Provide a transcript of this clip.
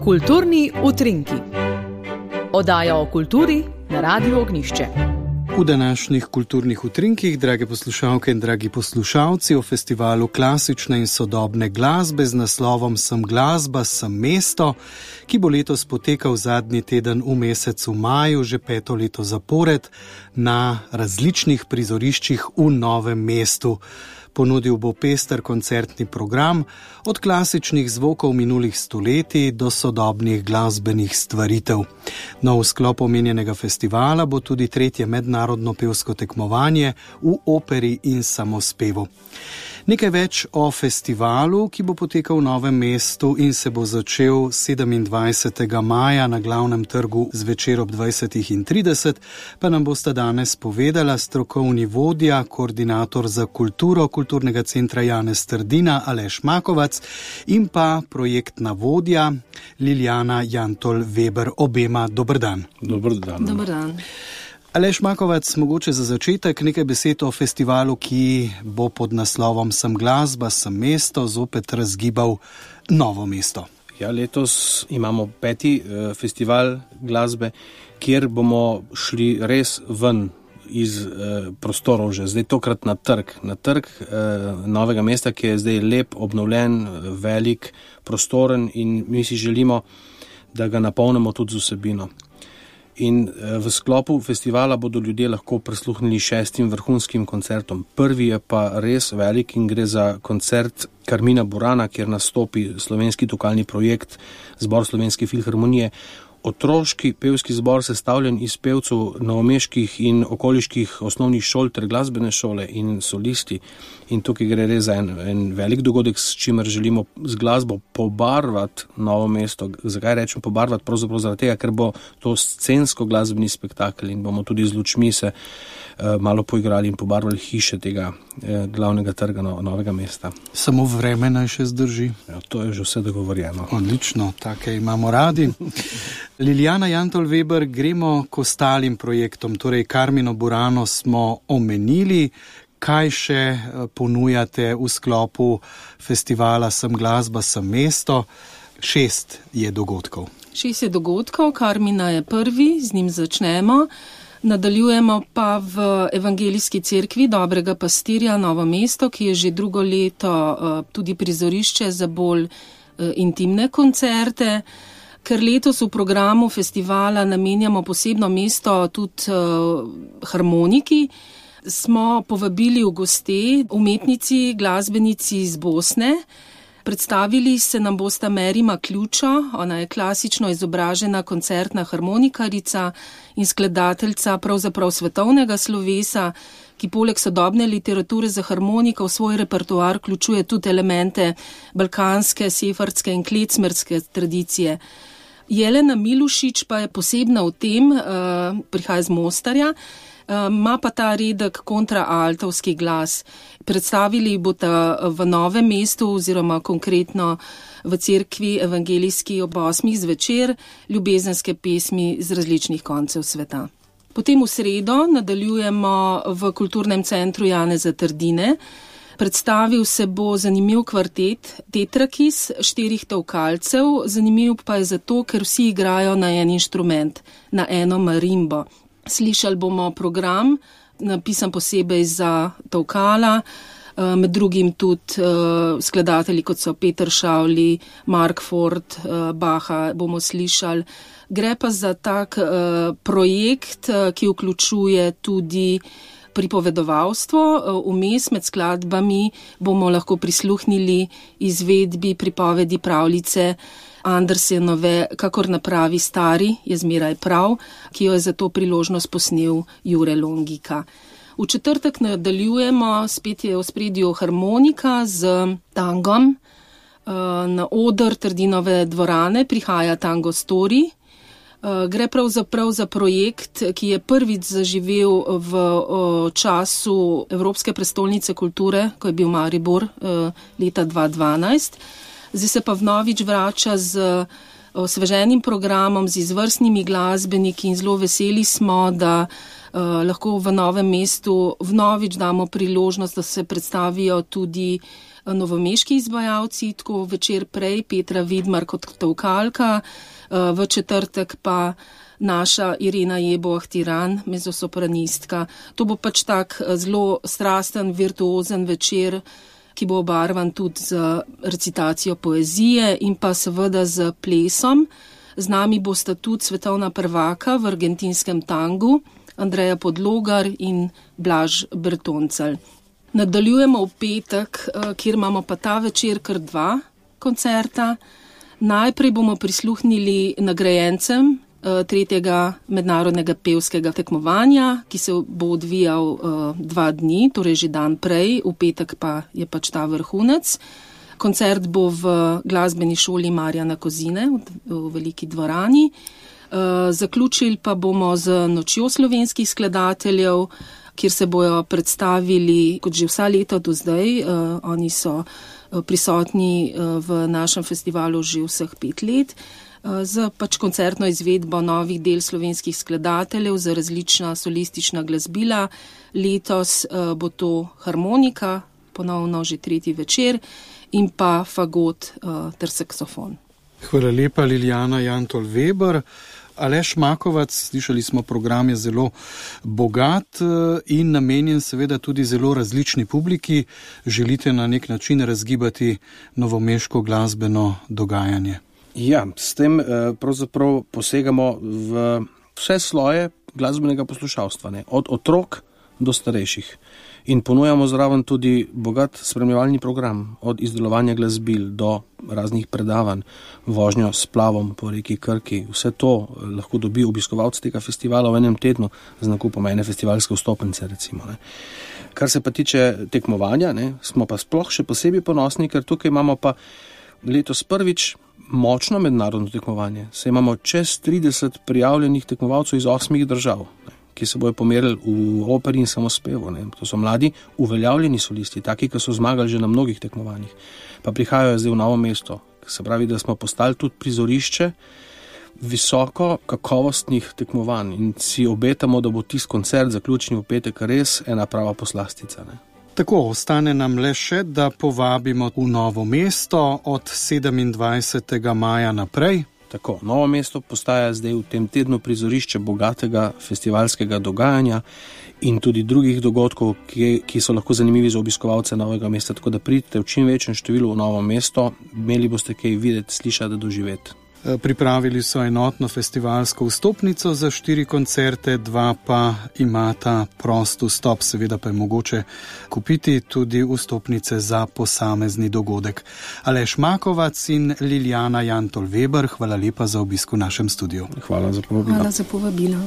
Kulturni utrinki. Oddaja o kulturi na Radiu Ognjišče. V današnjih kulturnih utrinkih, drage poslušalke in dragi poslušalci, o festivalu klasične in sodobne glasbe z naslovom Sem glasba, sem mesto, ki bo letos potekal zadnji teden v mesecu maju, že 5. leto zapored, na različnih prizoriščih v Novem mestu. Ponudil bo pester koncertni program, od klasičnih zvokov minulih stoletij do sodobnih glasbenih stvaritev. No, v sklopu omenjenega festivala bo tudi 3. mednarodno pevsko tekmovanje v operi in samospevu. Nekaj več o festivalu, ki bo potekal v Novem mestu in se bo začel 27. maja na glavnem trgu zvečer ob 20:30, pa nam bosta danes povedala strokovni vodja, koordinator za kulturo Kulturnega centra Janez Trdina Aleš Makovac in pa projektna vodja Liljana Jantol-Weber. Obema dober dan. Dober dan. Dober dan. Aleš Makovac, mogoče za začetek nekaj besed o festivalu, ki bo pod naslovom Sem glasba, sem mesto, zopet razgibal Novo mesto. Ja, letos imamo 5. Festival glasbe, kjer bomo šli res ven iz prostorov že, zdaj tokrat na trg Novega mesta, ki je zdaj lep, obnovljen, velik, prostoren in mi si želimo, da ga napolnimo tudi z vsebino. In v sklopu festivala bodo ljudje lahko prisluhnili 6 vrhunskim koncertom. Prvi je pa res velik in gre za koncert Karmina Burana, kjer nastopi slovenski tokalni projekt Zbor Slovenske filharmonije. Otroški pevski zbor sestavljen iz pevcev novomeških in okoliških osnovnih šol ter glasbene šole in solisti. In tukaj gre res za en velik dogodek, s čimer želimo z glasbo pobarvati Novo mesto. Zakaj rečem pobarvati? Pravzaprav zaradi tega, ker bo to scensko glasbeni spektakel in bomo tudi z lučmi se malo poigrali in pobarvali hiše tega glavnega trga Novega mesta. Samo vreme naj še zdrži. Ja, to je že vse dogovorjeno. Odlično, take imamo radi. Liljana Jantol-Weber, gremo k ostalim projektom, torej Karmino Burano smo omenili. Kaj še ponujate v sklopu festivala Sem glasba, sem mesto? 6 je dogodkov. 6 je dogodkov, Karmina je prvi, z njim začnemo. Nadaljujemo pa v Evangelijski cerkvi Dobrega pastirja Novo mesto, ki je že drugo leto tudi prizorišče za bolj intimne koncerte. Ker letos v programu festivala namenjamo posebno mesto tudi harmoniki, smo povabili v goste umetnici, glasbenici iz Bosne. Predstavili se nam bosta Merima Ključo, ona je klasično izobražena koncertna harmonikarica in skladateljica pravzaprav svetovnega slovesa, ki poleg sodobne literature za harmoniko v svoj repertoar vključuje tudi elemente balkanske, sefardske in klecmerske tradicije. Jelena Milušič pa je posebna v tem, prihaja iz Mostarja, ima pa ta redek kontraaltovski glas. Predstavili bosta v Novem mestu oziroma konkretno v cerkvi evangelijski ob 8. zvečer ljubezenske pesmi z različnih koncev sveta. Potem v sredo nadaljujemo v Kulturnem centru Janeza Trdine. Predstavil se bo zanimiv kvartet Tetrakis 4 tolkalcev, zanimiv pa je zato, ker vsi igrajo na en inštrument, na eno marimbo. Slišali bomo program, napisan posebej za tolkala, med drugim tudi skladatelji, kot so Peter Šavli, Mark Ford, Baha bomo slišali. Gre pa za tak projekt, ki vključuje tudi pripovedovalstvo. Vmes med skladbami bomo lahko prisluhnili izvedbi pripovedi pravljice Andersenove Kakor napravi stari, je zmeraj prav, ki jo je za to priložnost posnel Jure Longika. V četrtek nadaljujemo, spet je v ospredju harmonika z tangom. Na oder Trdinove dvorane prihaja Tango Story. Gre pravzaprav za projekt, ki je prvič zaživel v času Evropske prestolnice kulture, ko je bil Maribor leta 2012. Zdaj se pa vnovič vrača z osveženim programom z izvrstnimi glasbeniki in zelo veseli smo, da lahko v Novem mestu vnovič damo priložnost, da se predstavijo tudi novomeški izvajalci, tako večer prej Petra Vidmar kot tolkalka, v četrtek pa naša Irena Jebo-Ahtiran, mezzosopranistka. To bo pač tak zelo strasten, virtuozen večer, ki bo obarvan tudi z recitacijo poezije in pa seveda z plesom. Z nami bosta tudi svetovna prvaka v argentinskem tangu, Andreja Podlogar in Blaž Bertoncelj. Nadaljujemo v petek, kjer imamo pa ta večer kar 2 koncerta. Najprej bomo prisluhnili nagrajencem 3. mednarodnega pevskega tekmovanja, ki se bo odvijal 2 dni, torej že dan prej, v petek pa je pač ta vrhunec. Koncert bo v glasbeni šoli Marjana Kozine v veliki dvorani. Zaključili pa bomo z nočjo slovenskih skladateljev, kjer se bojo predstavili kot že vsa leta do zdaj. Oni so prisotni v našem festivalu že vseh 5 let. Z pač koncertno izvedbo novih del slovenskih skladateljev za različna solistična glasbila. Letos bo to harmonika, ponovno že 3. večer, in pa fagot ter saksofon. Hvala lepa, Liljana Jantol-Weber. Aleš Makovac, slišali smo, program je zelo bogat in namenjen seveda tudi zelo različni publiki. Želite na nek način razgibati novomeško glasbeno dogajanje? Ja, s tem pravzaprav posegamo v vse sloje glasbenega poslušalstva, ne? Od otrok do starejših. In ponujamo zraven tudi bogat spremljevalni program, od izdelovanja glasbil do raznih predavanj, vožnjo s splavom po reki Krki. Vse to lahko dobi obiskovalec tega festivala v enem tednu z nakupom ene festivalske vstopnice, recimo. Ne. Kar se pa tiče tekmovanja, ne, smo pa sploh še posebej ponosni, ker tukaj imamo pa letos prvič močno mednarodno tekmovanje. Saj imamo čez 30 prijavljenih tekmovalcev iz 8 držav, ne, ki se bojo pomerili v operi in samospevu. Ne. To so mladi, uveljavljeni solisti, taki, ki so zmagali že na mnogih tekmovanjih. Pa prihajajo zdaj v Novo mesto. Se pravi, da smo postali tudi prizorišče visoko kakovostnih tekmovanj in si obetamo, da bo tisti koncert zaključni v petek res ena prava poslastica. Ne. Tako, ostane nam le še, da povabimo v Novo mesto od 27. maja naprej. Tako, Novo mesto postaja zdaj v tem tednu prizorišče bogatega festivalskega dogajanja in tudi drugih dogodkov, ki so lahko zanimivi za obiskovalce Novega mesta. Tako da pridite v čim večjem številu v Novo mesto, imeli boste kaj videti, slišati, doživeti. Pripravili so enotno festivalsko vstopnico za 4 koncerte, 2 pa imata prost vstop, seveda pa je mogoče kupiti tudi vstopnice za posamezni dogodek. Aleš Makovac in Liljana Jantol-Weber, hvala lepa za obisk v našem studiu. Hvala za povabilo. Hvala za povabilo.